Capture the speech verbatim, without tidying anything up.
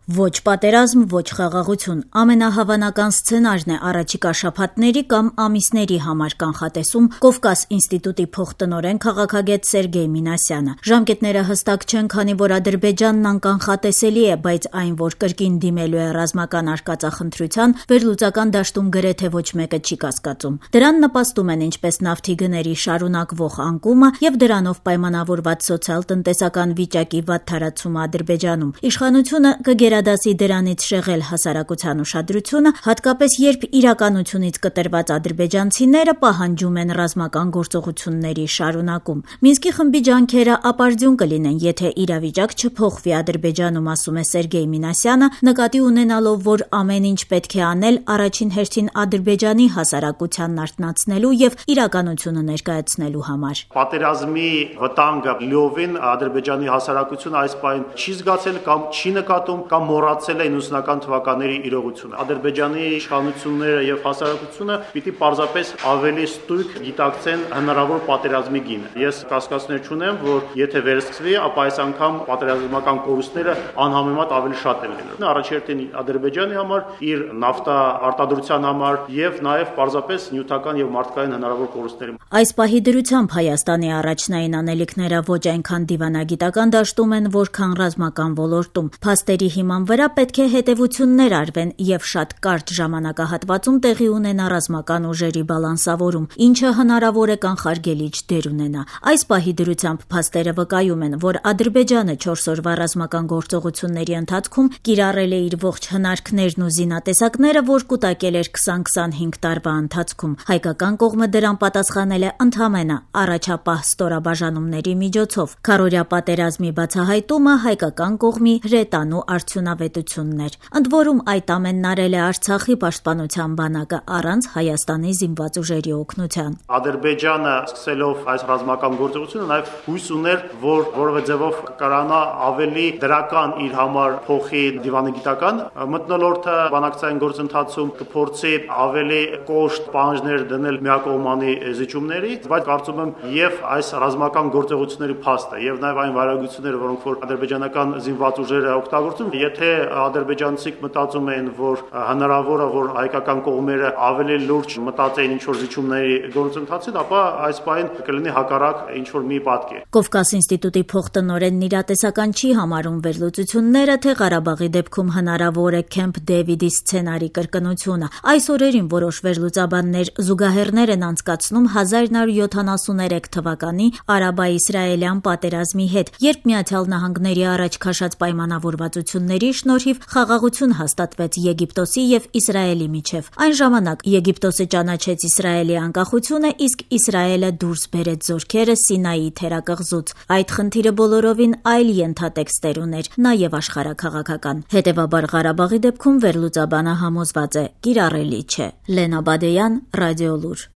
Ոչ պատերազմ, ոչ խաղաղություն։ Ամենահավանական սցենարն է առաջիկա շաբաթների կամ ամիսների համար կանխատեսում Կովկաս ինստիտուտի փոխտնօրեն քաղաքագետ Սերգեյ Մինասյանը։ Ժամկետները հստակ չեն, քանի որ Ադրբեջանն անկանխատեսելի է, բայց այն, որ կրկին դիմելու է ռազմական արկածախնդրության, վերլուծական դաշտում գրեթե ոչ մեկը չի կասկածում։ Դրան նպաստում են ինչպես նավթի գների շարունակվող անկումը եւ դրանով պայմանավորված սոցիալ-տնտեսական վիճակի վատթարացումը Ադրբեջանում։ Իշխանությունը կգերադասի դրանից շեղել հասարակության ուշադրությունը, հատկապես երբ իրականությունից կտրված ադրբեջանցիները պահանջում են ռազմական գործողությունների շարունակում։ Մինսկի խմբի ջանքերը ապարդյուն կլինեն, եթե իրավիճակ չփոխվի Ադրբեջանում, ասում է Սերգեյ Մինասյանը, նկատի ունենալով, որ ամեն ինչ պետք է անել առաջին հերթին Ադրբեջանի հասարակությանն արթնացնելու եւ իրականությունը ներկայացնելու համար։ Պատերազմի վտանգը լիովին Ադրբեջանի հասարակությունը այս պահին չի զգացել կամ չի նկատում կամ մոռացել է իննսունական թվականների իրողությունը։ Ադրբեջանի իշխանությունները եւ հասարակությունը պիտի պարզապես ավելի ստույգ գիտակցեն հնարավոր պատերազմի գինը։ Ես կասկածներ չունեմ, որ եթե վերսկսվի, ապա այս անգամ պատերազմական կորուստները անհամեմատ ավելի շատ են լինելու։ Առաջերտին Ադրբեջանի համար, իր նավթա արտադրության համար եւ նաեւ պարզապես նյութական եւ մարդկային հնարավոր կորուստների։ Այս պահի դրությամբ Հայաստանի առաջնային անելիքները ոչ այնքան դիվանագիտական դաշտում են, որքան ռազմական ոլորտում։ Փաստերի հիման վրա պետք է հետևություններ արվեն եւ շատ կարճ ժամանակահատվածում տեղի ունենա ռազմական ուժերի բալանսավորում, ինչը հնարավոր է կանխարգելիչ դեր ունենա։ Այս պահի դրությամբ փաստերը վկայում են, որ Ադրբեջանը չորս օրվա ռազմական գործողությունների ընթացքում կիրառել է իր ողջ հնարքներն ու զինատեսակները, որ կուտակել էր քսան քսանհինգ տարվա ընթացքում։ Հայկական կողմը դրան պատասխանել է ընդամենը առաջապահ ստորաբաժանումների միջոցով։ Քառօրյա պատերազմի բացահայտումը հայկական կողմի հրետանու արդյունավետությունն էր։ Ընդ որում այդ ամենն արել է Արցախի պաշտպանության բանակը առանց Հայաստանի զինված ուժերի օգնության։ Ադրբեջանը սկսելով այս ռազմական գործողությունը նաև հույս ուներ, որ որևէ ձևով կկարանա ավելի դրական իր համար փոխի դիվանագիտական մթնոլորտը բանակցային գործընթացում կփորձի ավելի կոշտ պահանջներ դնել միակողմանի զիջումների, բայց կարծում եմ եւ այս ռազմական գործողությունների փաստը եւ նաեւ այն վարագությունները, որոնք որ ադրբեջանական զինված ուժերը օգտագործում, եթե ադրբեջանցիք մտածում էին, որ հնարավոր է, որ հայկական կողմերը ավելի լուրջ մտածեին ինչ-որ զիջումների գործընթացին, ապա այս պահին կլինի հակառակ ինչ-որ մի պատկեր։ Կովկաս ինստիտուտի փոխտնօրենն իրատեսական չի համարում վերլուծությունները, թե Ղարաբաղի դեպքում հնարավոր է Քեմփ Դեվիդի սցենարի կրկնությունը։ Այս օրերին որոշ վերլուծաբաններ զուգահեռներ են անցկացնում հազար նոր յոթանասուներեք թվականի արաբա-իսրայելյան պատերազմի հետ, երբ Միացյալ Նահանգների առաջ քաշած պայմանավորվածությունների շնորհիվ խաղաղություն հաստատվեց Եգիպտոսի եւ Իսրայելի միջև։ Այն ժամանակ Եգիպտոսը ճանաչեց Իսրայելի անկախությունը, իսկ Իսրայելը դուրս բերեց զորքերը Սինայի թերակղզուց։ Այդ խնդիրը բոլորովին այլ ենթատեքստեր ուներ, նաեւ աշխարհաքաղաքական։ Հետևաբար Ղարաբաղի դեպքում վերլուծաբանը համոզված է՝ կիրառելի չէ։ Լենա Բադեյան, Ռադիոլուր։